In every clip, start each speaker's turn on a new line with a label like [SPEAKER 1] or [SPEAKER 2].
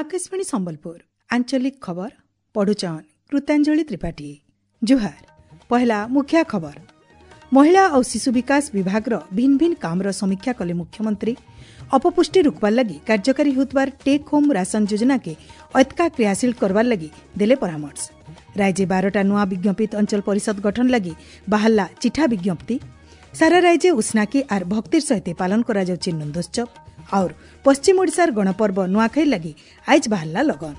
[SPEAKER 1] ଆକାଶବାଣୀ ସମ୍ବଲପୁର ଆଞ୍ଚଳିକ ଖବର ପଢୁଛନ୍ କୃତାଞ୍ଜଳି ତ୍ରିପାଠୀ। ଜୁହାର। ପହଲା ମୁଖ୍ୟ ଖବର। ମହିଳା ଆଉ ଶିଶୁ ବିକାଶ ବିଭାଗର ଭିନ୍ନ ଭିନ୍ନ କାମର ସମୀକ୍ଷା କଲେ ମୁଖ୍ୟମନ୍ତ୍ରୀ। ଅପପୁଷ୍ଟି ରୋକବାର ଲାଗି କାର୍ଯ୍ୟକାରୀ ହେଉଥିବାର ଟେକ୍ ହୋମ୍ ରାସନ ଯୋଜନାକେ ଅତ୍କା କ୍ରିୟାଶୀଳ କରବାର ଲାଗି ଦେଲେ ପରାମର୍ଶ। ରାଜ୍ୟ 12ଟା ନୂଆ ବିଜ୍ଞପିତ ଅଞ୍ଚଳ ପରିଷଦ ଗଠନ ଲାଗି ବାହାରିଲା ଚିଠା ବିଜ୍ଞପ୍ତି। ସାରା ରାଜ୍ୟ ଉଷ୍ଣାକି ଆର୍ ଭକ୍ତିର ସହିତ ପାଳନ କରାଯାଉଛି ନନ୍ଦୋତ୍ସବ। और ପଶ୍ଚିମ ଓଡ଼ିଶାର ଗଣପର୍ବ ନୂଆଖାଇ ଲାଗି ଆଇଜ ବାହାରିଲା ଲଗନ।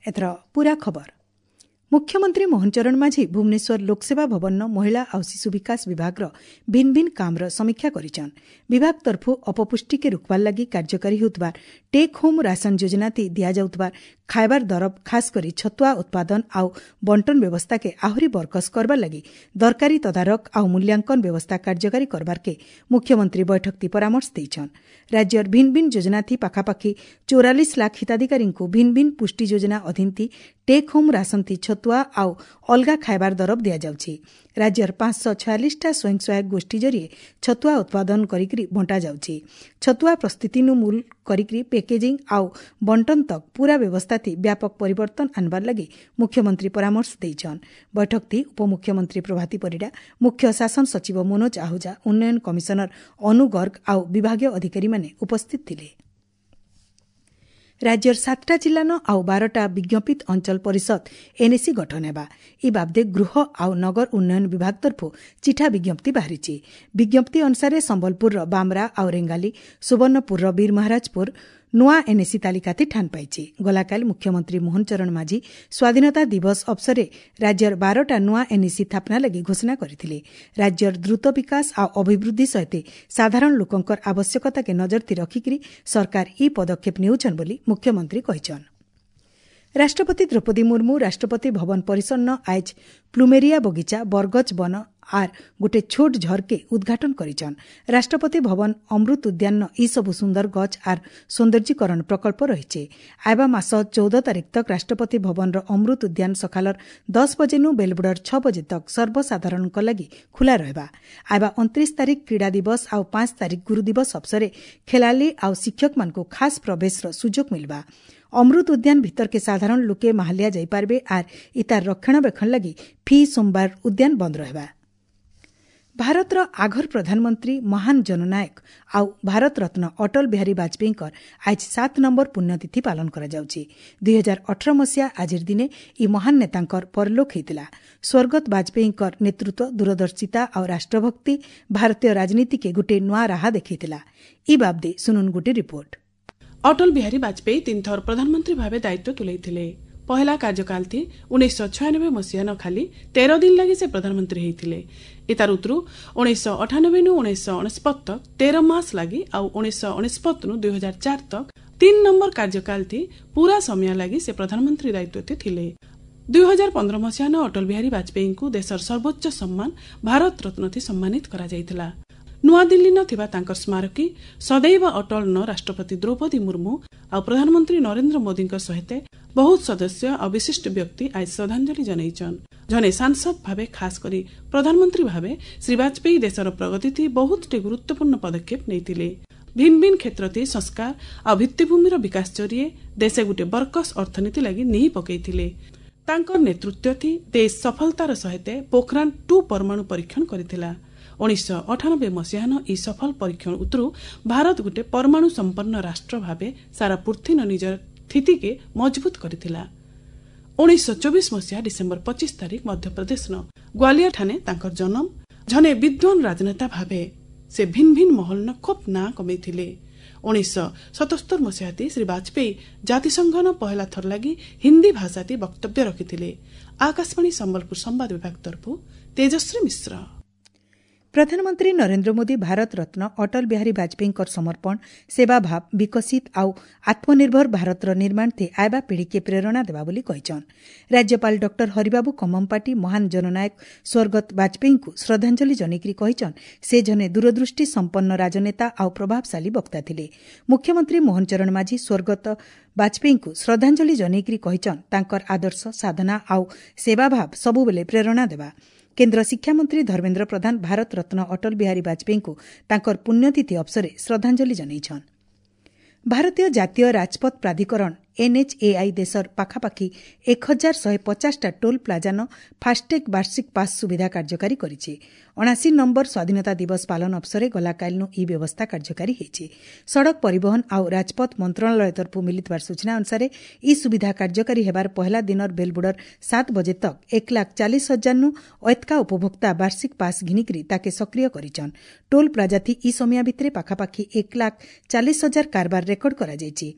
[SPEAKER 1] ଏଥର ପୁରା ଖବର। ମୁଖ୍ୟମନ୍ତ୍ରୀ ମୋହନ ଚରଣ ମାଝୀ ଭୁବନେଶ୍ୱର ଲୋକସେବା ଭବନର ମହିଳା ଆଉ ଶିଶୁ ବିକାଶ ବିଭାଗର ଭିନ୍ନ ଭିନ୍ନ କାମର ସମୀକ୍ଷା କରିଛନ୍। ବିଭାଗ ତରଫୁ ଅପପୁଷ୍ଟିକେ ରୋକବାର ଲାଗି କାର୍ଯ୍ୟକାରୀ ହେଉଥିବା ଟେକ୍ ହୋମ୍ ରାସନ ଯୋଜନାତି ଦିଆଯାଉଥିବା ଖାଇବାର ଦରବ ଖାସ କରି ଛତୁଆ ଉତ୍ପାଦନ ଆଉ ବଣ୍ଟନ ବ୍ୟବସ୍ଥାକେ ଆହୁରି ବରକସ କରବାର ଲାଗି ଦରକାରୀ ତଦାରଖ ଆଉ ମୂଲ୍ୟାଙ୍କନ ବ୍ୟବସ୍ଥା କାର୍ଯ୍ୟକାରୀ କରବାରକେ ମୁଖ୍ୟମନ୍ତ୍ରୀ ବୈଠକତି ପରାମର୍ଶ ଦେଇଛନ୍। ରାଜ୍ୟର ଭିନ୍ନ ଭିନ୍ନ ଯୋଜନାଥି ପାଖାପାଖି 44 ଲାଖ ହିତାଧିକାରୀଙ୍କୁ ଭିନ୍ନ ଭିନ୍ନ ପୁଷ୍ଟି ଯୋଜନା ଅଧୀନଥି ଟେକ୍ ହୋମ୍ ରାସନଥି ଛତୁଆ ଆଉ ଅଲଗା ଖାଇବାର ଦରବ ଦିଆଯାଉଛି। ରାଜ୍ୟର 546ଟା ସ୍ୱୟଂ ସହାୟକ ଗୋଷ୍ଠୀ ଜରିଏ ଛତୁଆ ଉତ୍ପାଦନ କରିକି ବଣ୍ଟାଯାଉଛି। ଛତୁଆ ପ୍ରସ୍ତୁତିନୁ ମୂଲ କରିକି ପ୍ୟାକେଜିଂ ଆଉ ବଣ୍ଟନ ତକ୍ ପୁରା ବ୍ୟବସ୍ଥାଥି ବ୍ୟାପକ ପରିବର୍ତ୍ତନ ଆନବାର ଲାଗି ମୁଖ୍ୟମନ୍ତ୍ରୀ ପରାମର୍ଶ ଦେଇଛନ୍। ବୈଠକଥି ଉପମୁଖ୍ୟମନ୍ତ୍ରୀ ପ୍ରଭାତୀ ପରିଡ଼ା, ମୁଖ୍ୟ ଶାସନ ସଚିବ ମନୋଜ ଆହୁଜା, ଉନ୍ନୟନ କମିଶନର ଅନୁ ଗର୍ଗ ଆଉ ବିଭାଗୀୟ ଅଧିକାରୀମାନେ ଉପସ୍ଥିତ ଥିଲେ। ରାଜ୍ୟର 7ଟା ଜିଲ୍ଲାନ ଆଉ 12ଟା ବିଜ୍ଞପିତ ଅଞ୍ଚଳ ପରିଷଦ ଏନ୍ଏସି ଗଠନ ହେବା। ଇ ବାବଦେ ଗୃହ ଆଉ ନଗର ଉନ୍ନୟନ ବିଭାଗ ତରଫରୁ ଚିଠା ବିଜ୍ଞପ୍ତି ବାହାରିଛି। ବିଜ୍ଞପ୍ତି ଅନୁସାରେ ସମ୍ବଲପୁରର ବାମରା ଆଉ ରେଙ୍ଗାଲି, ସୁବର୍ଣ୍ଣପୁରର ବୀରମହାରାଜପୁର ନୂଆ ଏନ୍ଏସି ତାଲିକାତି ଠାନ ପାଇଛି। ଗଲାକାଲି ମୁଖ୍ୟମନ୍ତ୍ରୀ ମୋହନ ଚରଣ ମାଝୀ ସ୍ୱାଧୀନତା ଦିବସ ଅବସରରେ ରାଜ୍ୟର 12ଟା ନୂଆ ଏନ୍ଏସି ସ୍ଥାପନା ଲାଗି ଘୋଷଣା କରିଥିଲେ। ରାଜ୍ୟର ଦ୍ରୁତ ବିକାଶ ଆଉ ଅଭିବୃଦ୍ଧି ସହିତ ସାଧାରଣ ଲୋକଙ୍କର ଆବଶ୍ୟକତାକେ ନଜରଥି ରଖିକରି ସରକାର ଇ ପଦକ୍ଷେପ ନେଉଛନ୍ ବୋଲି ମୁଖ୍ୟମନ୍ତ୍ରୀ କହିଛନ୍। ରାଷ୍ଟ୍ରପତି ଦ୍ରୌପଦୀ ମୁର୍ମୁ ରାଷ୍ଟ୍ରପତି ଭବନ ପରିସରନ ଆଇଜ ପ୍ଲୁମେରିଆ ବଗିଚା, ବରଗଛ ବନ ଆର୍ ଗୋଟେ ଛୋଟ ଝରକେ ଉଦ୍ଘାଟନ କରିଛନ୍। ରାଷ୍ଟ୍ରପତି ଭବନ ଅମୃତ ଉଦ୍ୟାନ ଇ ସବୁ ସୁନ୍ଦର ଗଛ ଆର୍ ସୌନ୍ଦର୍ଯ୍ୟକରଣ ପ୍ରକଳ୍ପ ରହିছে। ଆଇବା ମାସ 14 ତାରିଖ ତକ ରାଷ୍ଟ୍ରପତି ଭବନର ଅମୃତ ଉଦ୍ୟାନ ସକାଳର 10 ବଜେନୁ ବେଲବୁଡ଼ର 6 ବଜେ ତକ ସର୍ବସାଧାରଣଙ୍କ ଲାଗି ଖୋଲା ରହିବା। ଆଇବା 29 ତାରିଖ କ୍ରୀଡ଼ା ଦିବସ ଆଉ 5 ତାରିଖ ଗୁରୁ ଦିବସ ଅବସରେ ଖେଳାଳି ଆଉ ଶିକ୍ଷକମାନଙ୍କୁ ଖାସ୍ ପ୍ରବେଶର ସୁଯୋଗ ମିଲବା। ଅମୃତ ଉଦ୍ୟାନ ଭିତରକେ ସାଧାରଣ ଲୋକେ ମାହାଲିଆ ଯାଇପାରିବେ ଆର୍ ଇତାର ରକ୍ଷଣାବେକ୍ଷଣ ଲାଗି ଫି ସୋମବାର ଉଦ୍ୟାନ ବନ୍ଦ ରହିବା। ଭାରତର ଆଘର ପ୍ରଧାନମନ୍ତ୍ରୀ ମହାନ ଜନନାୟକ ଆଉ ଭାରତରତ୍ନ ଅଟଳ ବିହାରୀ ବାଜପେୟୀଙ୍କର ଆଜି 7 ନମ୍ବର ପୁଣ୍ୟତିଥି ପାଳନ କରାଯାଉଛି। 2018 ମସିହା ଆଜିର ଦିନେ ଇ ମହାନ ନେତାଙ୍କର ପରଲୋକ ହୋଇଥିଲା। ସ୍ୱର୍ଗତ ବାଜପେୟୀଙ୍କର ନେତୃତ୍ୱ, ଦୂରଦର୍ଶିତା ଆଉ ରାଷ୍ଟ୍ରଭକ୍ତି ଭାରତୀୟ ରାଜନୀତିକେ ଗୋଟିଏ ନୂଆ ରାହା ଦେଖାଇଥିଲା। ଇ ବାବଦେ ଶୁଣୁନ୍ ଗୋଟିଏ ରିପୋର୍ଟ।
[SPEAKER 2] ଅଟଳ ବିହାରୀ ବାଜପେୟୀ 3 ଥର ପ୍ରଧାନମନ୍ତ୍ରୀ ଭାବେ ଦାୟିତ୍ୱ ତୁଲାଇଥିଲେ। ପହଲା କାର୍ଯ୍ୟକାଳ ଥି 1996 ମସିହା ନ ଖାଲି 13 ଦିନ ଲାଗି ସେ ପ୍ରଧାନମନ୍ତ୍ରୀ ହେଇଥିଲେ। ଏତାର ଉତରୁ 1998 ନୁ 1999 ତକ 13 ମାସ ଲାଗି ଆଉ 1999 ନୁ 2004 ତକ 3 ନମ୍ବର କାର୍ଯ୍ୟକାଳ ଥି ପୁରା ସମୟ ଲାଗି ସେ ପ୍ରଧାନମନ୍ତ୍ରୀ ଦାୟିତ୍ୱ ଥିଲେ। 2015 ମସିହା ନ ଅଟଳ ବିହାରୀ ବାଜପେୟୀଙ୍କୁ ଦେଶର ସର୍ବୋଚ୍ଚ ସମ୍ମାନ ଭାରତ ରତ୍ନ ଥି ସମ୍ମାନିତ କରାଯାଇଥିଲା। ନୂଆଦିଲ୍ଲୀ ନ ଥିବା ତାଙ୍କର ସ୍ମାରକୀ ସଦୈବ ଅଟଳ ନ ରାଷ୍ଟ୍ରପତି ଦ୍ରୌପଦୀ ମୁର୍ମୁ ଆଉ ପ୍ରଧାନମନ୍ତ୍ରୀ ନରେନ୍ଦ୍ର ମୋଦୀଙ୍କ ସହିତ ବହୁତ ସଦସ୍ୟ ଆଉ ବିଶିଷ୍ଟ ବ୍ୟକ୍ତି ଆଜି ଶ୍ରଦ୍ଧାଞ୍ଜଳି ଜଣାଇଛନ୍। ଜଣେ ସାଂସଦ ଭାବେ ଖାସ କରି ପ୍ରଧାନମନ୍ତ୍ରୀ ଭାବେ ଶ୍ରୀ ବାଜପେୟୀ ଦେଶର ପ୍ରଗତିଥି ବହୁତଟି ଗୁରୁତ୍ୱପୂର୍ଣ୍ଣ ପଦକ୍ଷେପ ନେଇଥିଲେ। ଭିନ୍ନ ଭିନ୍ନ କ୍ଷେତ୍ରଥି ସଂସ୍କାର ଆଉ ଭିତ୍ତିଭୂମିର ବିକାଶ ଜରିଏ ଦେଶେ ଗୋଟିଏ ବରକସ ଅର୍ଥନୀତି ଲାଗି ନିହି ପକେଇଥିଲେ। ତାଙ୍କର ନେତୃତ୍ୱଥି ଦେଶ ସଫଳତାର ସହିତ ପୋଖରାନ 2 ପରମାଣୁ ପରୀକ୍ଷଣ କରିଥିଲା। 1998 ମସିହାନ ଏହି ସଫଳ ପରୀକ୍ଷଣ ଉତରୁ ଭାରତ ଗୋଟେ ପରମାଣୁ ସମ୍ପନ୍ନ ରାଷ୍ଟ୍ର ଭାବେ ସାରା ପୃଥିବୀନ ନିଜର ସ୍ଥିତିକେ ମଜବୁତ କରିଥିଲା। 1924 ମସିହା ଡିସେମ୍ବର 25 ତାରିଖ ମଧ୍ୟପ୍ରଦେଶନ ଗ୍ୱାଲିୟର ଠାନେ ତାଙ୍କର ଜନ୍ମ। ଜଣେ ବିଦ୍ୱାନ ରାଜନେତା ଭାବେ ସେ ଭିନ୍ନ ଭିନ୍ନ ମହଲନ ଖୁବ୍ ନାଁ କମେଇଥିଲେ। 1977 ମସିହାତି ଶ୍ରୀ ବାଜପେୟୀ ଜାତିସଂଘନ ପହଲା ଥର ଲାଗି ହିନ୍ଦୀ ଭାଷାତି ବକ୍ତବ୍ୟ ରଖିଥିଲେ। ଆକାଶବାଣୀ ସମ୍ବଲପୁର ସମ୍ବାଦ ବିଭାଗ ତରଫରୁ ତେଜଶ୍ରୀ ମିଶ୍ର।
[SPEAKER 1] ପ୍ରଧାନମନ୍ତ୍ରୀ ନରେନ୍ଦ୍ର ମୋଦୀ ଭାରତ ରତ୍ନ ଅଟଳ ବିହାରୀ ବାଜପେୟୀଙ୍କର ସମର୍ପଣ, ସେବାଭାବ, ବିକଶିତ ଆଉ ଆତ୍ମନିର୍ଭର ଭାରତର ନିର୍ମାଣ ଥି ଆଇବା ପିଢ଼ିକେ ପ୍ରେରଣା ଦେବା ବୋଲି କହିଛନ୍। ରାଜ୍ୟପାଳ ଡକ୍ଟର ହରିବାବୁ କମ୍ମମପାଟି ମହାନ ଜନନାୟକ ସ୍ୱର୍ଗତ ବାଜପେୟୀଙ୍କୁ ଶ୍ରଦ୍ଧାଞ୍ଜଳି ଜଣାଇକରି କହିଛନ୍ ସେ ଜଣେ ଦୂରଦୃଷ୍ଟି ସମ୍ପନ୍ନ ରାଜନେତା ଆଉ ପ୍ରଭାବଶାଳୀ ବକ୍ତା ଥିଲେ। ମୁଖ୍ୟମନ୍ତ୍ରୀ ମୋହନ ଚରଣ ମାଝୀ ସ୍ୱର୍ଗତ ବାଜପେୟୀଙ୍କୁ ଶ୍ରଦ୍ଧାଞ୍ଜଳି ଜଣାଇକରି କହିଛନ୍ ତାଙ୍କର ଆଦର୍ଶ, ସାଧନା ଆଉ ସେବାଭାବ ସବୁବେଳେ ପ୍ରେରଣା ଦେବା। କେନ୍ଦ୍ର ଶିକ୍ଷାମନ୍ତ୍ରୀ ଧର୍ମେନ୍ଦ୍ର ପ୍ରଧାନ ଭାରତ ରତ୍ନ ଅଟଳ ବିହାରୀ ବାଜପେୟୀଙ୍କୁ ତାଙ୍କର ପୁଣ୍ୟତିଥି ଅବସରରେ ଶ୍ରଦ୍ଧାଞ୍ଜଳି ଜଣାଇଛନ୍। ଭାରତୀୟ ଜାତୀୟ ରାଜପଥ ପ୍ରାଧିକରଣ ଏନ୍ଏଚ୍ଏଆଇ ଦେଶର ପାଖାପାଖି 1150ଟା ଟୋଲ୍ ପ୍ଲାଜାନ ଫାଷ୍ଟଟ୍ୟାଗ୍ ବାର୍ଷିକ ପାସ୍ ସୁବିଧା କାର୍ଯ୍ୟକାରୀ କରିଛି। 79 ନମ୍ବର ସ୍ୱାଧୀନତା ଦିବସ ପାଳନ ଅବସରରେ ଗଲାକାଲିନୁ ଏହି ବ୍ୟବସ୍ଥା କାର୍ଯ୍ୟକାରୀ ହୋଇଛି। ସଡ଼କ ପରିବହନ ଆଉ ରାଜପଥ ମନ୍ତ୍ରଣାଳୟ ତରଫରୁ ମିଳିଥିବା ସୂଚନା ଅନୁସାରେ ଏହି ସୁବିଧା କାର୍ଯ୍ୟକାରୀ ହେବାର ପହିଲା ଦିନର ବେଲବୁଡ଼ର 7 ବଜେ ତକ୍ 1,40,000ନୁ ଐତକା ଉପଭୋକ୍ତା ବାର୍ଷିକ ପାସ୍ ଘିନିକରି ତାକେ ସକ୍ରିୟ କରିଛନ୍। ଟୋଲ୍ ପ୍ଲାଜାଥି ଇ ସମୟ ଭିତରେ ପାଖାପାଖି 1,40,000 କାରବାର ରେକର୍ଡ କରାଯାଇଛି।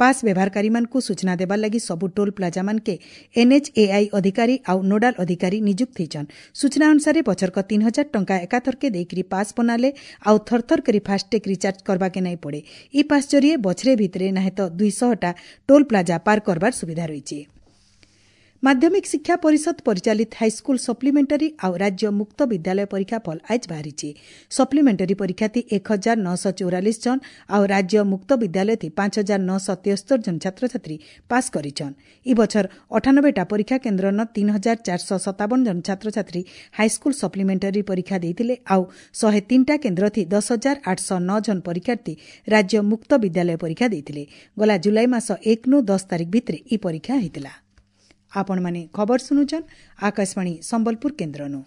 [SPEAKER 1] ପାସ୍ ବ୍ୟବହାରକାରୀମାନଙ୍କୁ ସୂଚନା ଦେବାର ଲାଗି ସବୁ ଟୋଲ୍ ପ୍ଲାଜାମାନକେ ଏନ୍ଏଚ୍ଏଆଇ ଅଧିକାରୀ ଆଉ ନୋଡାଲ ଅଧିକାରୀ ନିଯୁକ୍ତ ହୋଇଛନ୍। ସୂଚନା ଅନୁସାରେ ବଛରକ 3000 ଟଙ୍କା ଏକାଥରକେ ଦେଇକରି ପାସ୍ ବନାଲେ ଆଉ ଥରଥର କରି ଫାଷ୍ଟଟ୍ୟାଗ୍ ରିଚାର୍ଜ କରବାକେ ନାଇଁ ପଡ଼େ। ଇ ପାସ୍ ଜରିଏ ବଛରେ ଭିତରେ ନାହେଁ ତ 200ଟା ଟୋଲ୍ ପ୍ଲାଜା ପାର କରବାର ସୁବିଧା ରହିଛି। ମାଧ୍ୟମିକ ଶିକ୍ଷା ପରିଷଦ ପରିଚାଳିତ ହାଇସ୍କୁଲ ସପ୍ଲିମେଣ୍ଟାରୀ ଆଉ ରାଜ୍ୟ ମୁକ୍ତ ବିଦ୍ୟାଳୟ ପରୀକ୍ଷା ଫଳ ଆଜି ବାହାରିଛି। ସପ୍ଲିମେଣ୍ଟାରୀ ପରୀକ୍ଷାଥି 1944 ଜଣ ଆଉ ରାଜ୍ୟ ମୁକ୍ତ ବିଦ୍ୟାଳୟଥି 5973 ଜଣ ଛାତ୍ରଛାତ୍ରୀ ପାସ୍ କରିଛନ୍। ଇ ବଛର 98ଟା ପରୀକ୍ଷା କେନ୍ଦ୍ରନ 3457 ଜଣ ଛାତ୍ରଛାତ୍ରୀ ହାଇସ୍କୁଲ ସପ୍ଲିମେଣ୍ଟାରୀ ପରୀକ୍ଷା ଦେଇଥିଲେ ଆଉ 103ଟା କେନ୍ଦ୍ରଥି 10,809 ଜଣ ପରୀକ୍ଷାର୍ଥୀ ରାଜ୍ୟ ମୁକ୍ତ ବିଦ୍ୟାଳୟ ପରୀକ୍ଷା ଦେଇଥିଲେ। ଗଲା ଜୁଲାଇ ମାସ 1ନୁ 10 ତାରିଖ ଭିତରେ ଇ ପରୀକ୍ଷା ହୋଇଥିଲା। ଆପଣମାନେ ଖବର ଶୁଣୁଛନ୍ ଆକାଶବାଣୀ ସମ୍ବଲପୁର କେନ୍ଦ୍ରନୁ।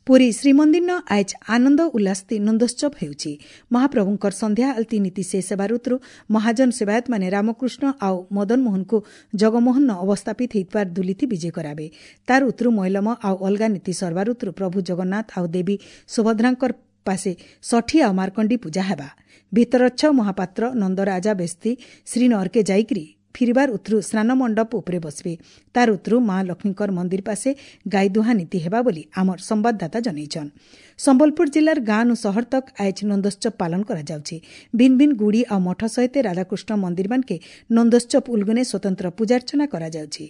[SPEAKER 1] ପୁରୀ ଶ୍ରୀମନ୍ଦିରନ ଆଏଜ୍ ଆନନ୍ଦ ଉଲ୍ଲାସତି ନନ୍ଦୋତ୍ସବ ହେଉଛି। ମହାପ୍ରଭୁଙ୍କର ସନ୍ଧ୍ୟା ଆଳତୀ ନୀତି ଶେଷ ହେବାର ଉତରୁ ମହାଜନ ସେବାୟତମାନେ ରାମକୃଷ୍ଣ ଆଉ ମଦନମୋହନଙ୍କୁ ଜଗମୋହନ ଅବସ୍ଥାପିତ ହେଇଥିବାର ଦୁଲିଥି ବିଜେ କରାବେ। ତାର ଉତରୁ ମଇଲମ ଆଉ ଅଲଗା ନୀତି ସରବାର ଉତରୁ ପ୍ରଭୁ ଜଗନ୍ନାଥ ଆଉ ଦେବୀ ସୁଭଦ୍ରାଙ୍କର ପାଶେ ଷଠି ଆଉ ମାର୍କଣ୍ଡି ପୂଜା ହେବା। ଭିତରଚ୍ଛ ମହାପାତ୍ର ନନ୍ଦରାଜା ବେସ୍ତି ଶ୍ରୀନଅରକେ ଯାଇକରି ଫିରିବାର ଉତରୁ ସ୍ନାନ ମଣ୍ଡପ ଉପରେ ବସିବେ। ତାର ଉତରୁ ମା ଲକ୍ଷ୍ମୀଙ୍କର ମନ୍ଦିର ପାଶେ ଗାଈ ଦୁହାଁ ନୀତି ହେବା ବୋଲି ଆମର ସମ୍ବାଦଦାତା ଜଣାଇଛନ୍। ସମ୍ବଲପୁର ଜିଲ୍ଲାର ଗାଁନୁ ସହର ତକ୍ ଆଏଜ୍ ନନ୍ଦୋତ୍ସବ ପାଳନ କରାଯାଉଛି। ଭିନ୍ ଭିନ୍ ଗୁଡ଼ି ଆଉ ମଠ ସହିତ ରାଧାକୃଷ୍ଣ ମନ୍ଦିରମାନକେ ନନ୍ଦୋତ୍ସବ ଉଲଗୁନେ ସ୍ୱତନ୍ତ୍ର ପୂଜାର୍ଚ୍ଚନା କରାଯାଉଛି।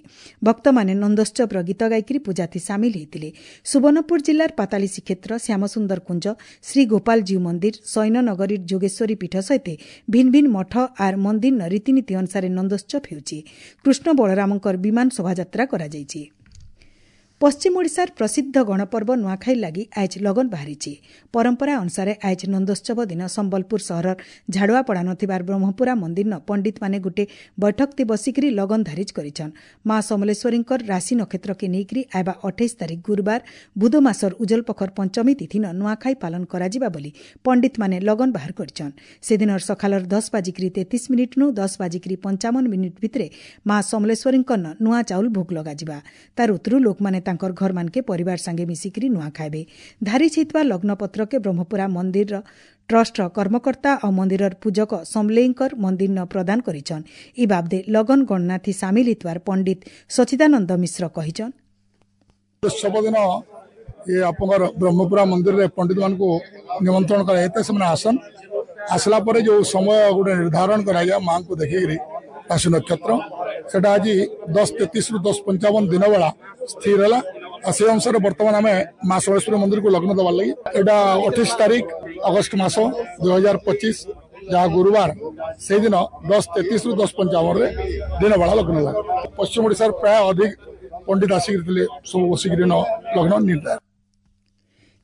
[SPEAKER 1] ଭକ୍ତମାନେ ନନ୍ଦୋତ୍ସବର ଗୀତ ଗାଇକରି ପୂଜାଥି ସାମିଲ ହୋଇଥିଲେ। ସୁବର୍ଣ୍ଣପୁର ଜିଲ୍ଲାର ପାତାଳି ଶ୍ରୀକ୍ଷେତ୍ର, ଶ୍ୟାମସୁନ୍ଦର କୁଞ୍ଜ, ଶ୍ରୀ ଗୋପାଳଜୀଉ ମନ୍ଦିର, ସୈନନଗରୀର ଯୋଗେଶ୍ୱରୀ ପୀଠ ସହିତ ଭିନ୍ ଭିନ୍ ମଠ ଆର୍ ମନ୍ଦିରର ରୀତିନୀତି ଅନୁସାରେ ନନ୍ଦୋତ୍ସବ ହେଉଛି। କୃଷ୍ଣ ବଳରାମଙ୍କର ବିମାନ ଶୋଭାଯାତ୍ରା କରାଯାଇଛି। ପଶ୍ଚିମ ଓଡ଼ିଶାର ପ୍ରସିଦ୍ଧ ଗଣପର୍ବ ନୂଆଖାଇ ଲାଗି ଆଏଜ୍ ଲଗନ ବାହାରିଛି। ପରମ୍ପରା ଅନୁସାରେ ଆଏଜ୍ ନନ୍ଦୋତ୍ସବ ଦିନ ସମ୍ବଲପୁର ସହରର ଝାଡ଼ୁଆପଡ଼ା ନଥିବାର ବ୍ରହ୍ମପୁରା ମନ୍ଦିରନ ପଣ୍ଡିତମାନେ ଗୋଟେ ବୈଠକତି ବସିକରି ଲଗନ ଧାରିଜ କରିଛନ୍। ମା ସମଲେଶ୍ୱରୀଙ୍କର ରାଶି ନକ୍ଷତ୍ରକେ ନେଇକରି ଆଇବା 28 ତାରିଖ ଗୁରୁବାର ବୁଧ ମାସର ଉଜଲପଖର ପଞ୍ଚମୀ ତିଥିନ ନୂଆଖାଇ ପାଳନ କରାଯିବା ବୋଲି ପଣ୍ଡିତମାନେ ଲଗନ ବାହାର କରିଛନ୍। ସେଦିନର ସକାଳର 10:33ନୁ 10:55 ଭିତରେ ମା ସମଲେଶ୍ୱରୀଙ୍କର ନୂଆ ଚାଉଳ ଭୋଗ ଲଗାଯିବା। ତାର ଉତରୁ ଲୋକମାନେ ତାଙ୍କର ଘରମାନକେ ପରିବାର ସାଙ୍ଗେ ମିଶିକରି ନୂଆ ଖାଇବେ। ଧାରିଜ ହେଇଥିବା ଲଗ୍ନପତ୍ରକେ ବ୍ରହ୍ମପୁରା ମନ୍ଦିରର ଟ୍ରଷ୍ଟର କର୍ମକର୍ତ୍ତା ଆଉ ମନ୍ଦିରର ପୂଜକ ସମଲେଇଙ୍କର ମନ୍ଦିରନ ପ୍ରଦାନ କରିଛନ୍। ଇ ବାବଦେ ଲଗନ ଗଣନାଥି ସାମିଲ ହେଇଥିବାର ପଣ୍ଡିତ ସଚିଦାନନ୍ଦ ମିଶ୍ର କହିଛନ୍।
[SPEAKER 3] ଉତ୍ସବ ଦିନ ଏ ଆପଣଙ୍କର ବ୍ରହ୍ମପୁରା ମନ୍ଦିରରେ ପଣ୍ଡିତମାନଙ୍କୁ ନିମନ୍ତ୍ରଣ କରାଯାଇଥାଏ। ସେମାନେ ଆସନ୍। ଆସିଲା ପରେ ଯେଉଁ ସମୟ ଗୋଟେ ନିର୍ଦ୍ଧାରଣ କରାଯାଏ ମାଆଙ୍କୁ ଦେଖିକିରି ରାଶି ନକ୍ଷତ୍ର, ସେଟା ଆଜି 10:33ରୁ 10:55 ଦିନ ବେଳା ସ୍ଥିର ହେଲା। ଆଉ ସେ ଅନୁସାରେ ବର୍ତ୍ତମାନ ଆମେ ମା ସମଲେଶ୍ୱରୀ ମନ୍ଦିରକୁ ଲଗ୍ନ ଦେବାର ଲାଗି ଏଇଟା 28 ତାରିଖ ଅଗଷ୍ଟ ମାସ 2025, ଯାହା ଗୁରୁବାର, ସେଇଦିନ 10:33ରୁ 10:55ରେ ଦିନ ବେଳା ଲଗ୍ନ ଲାଗେ। ପଶ୍ଚିମ ଓଡ଼ିଶାର ପ୍ରାୟ ଅଧିକ ପଣ୍ଡିତ ଆସିକରି ଥିଲେ, ସବୁ ବସିକିରି ଲଗ୍ନ ନିର୍ଦ୍ଧାର।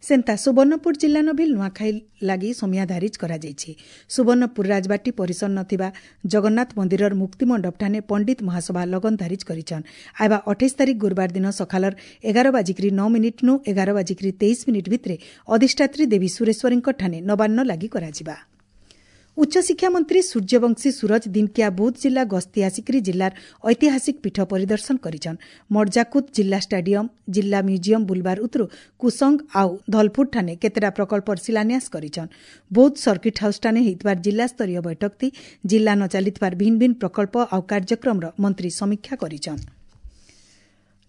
[SPEAKER 1] ସେନ୍ତା ସୁବର୍ଣ୍ଣପୁର ଜିଲ୍ଲାନ ବି ନୂଆଖାଇ ଲାଗି ସମିଆ ଧାରିଜ କରାଯାଇଛି। ସୁବର୍ଣ୍ଣପୁର ରାଜବାଟୀ ପରିସର ନଥିବା ଜଗନ୍ନାଥ ମନ୍ଦିରର ମୁକ୍ତିମଣ୍ଡପଠାନେ ପଣ୍ଡିତ ମହାସଭା ଲଗନ ଧାରିଜ କରିଛନ୍। ଆଇବା 28 ତାରିଖ ଗୁରୁବାର ଦିନ ସକାଳର 11:09ନୁ 11:23 ଭିତରେ ଅଧିଷ୍ଠାତ୍ରୀ ଦେବୀ ସୁରେଶ୍ୱରୀଙ୍କ ଠାନେ ନବାନ୍ନ ଲାଗି କରାଯିବା। ଉଚ୍ଚଶିକ୍ଷା ମନ୍ତ୍ରୀ ସୂର୍ଯ୍ୟବଂଶୀ ସୁରଜ ଦିନକିଆ ବୌଦ୍ଧ ଜିଲ୍ଲା ଗସ୍ତି ଆସିକରି ଜିଲ୍ଲାର ଐତିହାସିକ ପୀଠ ପରିଦର୍ଶନ କରିଛନ୍। ମର୍ଜାକୁଦ ଜିଲ୍ଲା ଷ୍ଟାଡିୟମ, ଜିଲ୍ଲା ମ୍ୟୁଜିୟମ ବୁଲବାର ଉତରୁ କୁସଙ୍ଗ ଆଉ ଧଲପୁର ଠାନେ କେତେଟା ପ୍ରକଳ୍ପର ଶିଳାନ୍ୟାସ କରିଛନ୍। ବୌଦ୍ଧ ସର୍କିଟ ହାଉସ୍ ଠାନେ ହେଇଥିବାର ଜିଲ୍ଲାସ୍ତରୀୟ ବୈଠକତି ଜିଲ୍ଲା ନ ଚାଲିଥିବାର ଭିନ୍ ଭିନ୍ ପ୍ରକଳ୍ପ ଆଉ କାର୍ଯ୍ୟକ୍ରମର ମନ୍ତ୍ରୀ ସମୀକ୍ଷା କରିଛନ୍।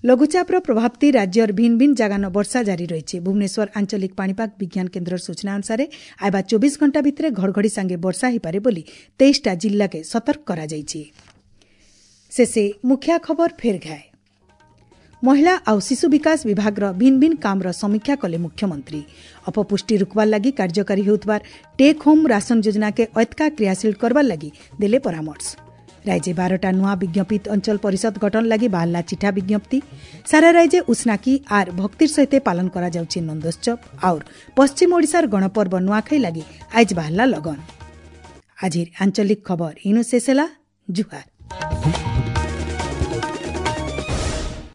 [SPEAKER 1] ଲଘୁଚାପର ପ୍ରଭାବତି ରାଜ୍ୟର ଭିନ୍ ଭିନ୍ ଜାଗାନ ବର୍ଷା ଜାରି ରହିଛି। ଭୁବନେଶ୍ୱର ଆଞ୍ଚଳିକ ପାଣିପାଗ ବିଜ୍ଞାନ କେନ୍ଦ୍ରର ସୂଚନା ଅନୁସାରେ ଆଇବା 24 ଘଣ୍ଟା ଭିତରେ ଘଡ଼ଘଡ଼ି ସାଙ୍ଗେ ବର୍ଷା ହୋଇପାରେ ବୋଲି 23ଟା ଜିଲ୍ଲାକେ ସତର୍କ କରାଯାଇଛି। ଶେଷେ ମୁଖ୍ୟ ଖବର ଫେର ଘାଏ। ମହିଳା ଆଉ ଶିଶୁ ବିକାଶ ବିଭାଗର ଭିନ୍ ଭିନ୍ କାମର ସମୀକ୍ଷା କଲେ ମୁଖ୍ୟମନ୍ତ୍ରୀ। ଅପପୁଷ୍ଟି ରୋକବାର ଲାଗି କାର୍ଯ୍ୟକାରୀ ହେଉଥିବାର ଟେକ୍ ହୋମ୍ ରାସନ ଯୋଜନାକେ ଐତକା କ୍ରିୟାଶୀଳ କରବାର ଲାଗି ଦେଲେ ପରାମର୍ଶ। ରାଜ୍ୟ 12ଟା ନୂଆ ବିଜ୍ଞପିତ ଅଞ୍ଚଳ ପରିଷଦ ଗଠନ ଲାଗି ବାହାରିଲା ଚିଠା ବିଜ୍ଞପ୍ତି। ସାରା ରାଜ୍ୟ ଉଷ୍ଣାକି ଆର୍ ଭକ୍ତିର ସହିତ ପାଳନ କରାଯାଉଛି ନନ୍ଦୋତ୍ସବ। ଆଉର ପଶ୍ଚିମ ଓଡ଼ିଶାର ଗଣପର୍ବ ନୂଆଖାଇ ଲାଗି ଆଇଜ ବାହାରିଲା ଲଗନ। ଆଜିର ଆଞ୍ଚଳିକ ଖବର ଇନୁ ଶେଷ ହେଲା। ଜୁହାର।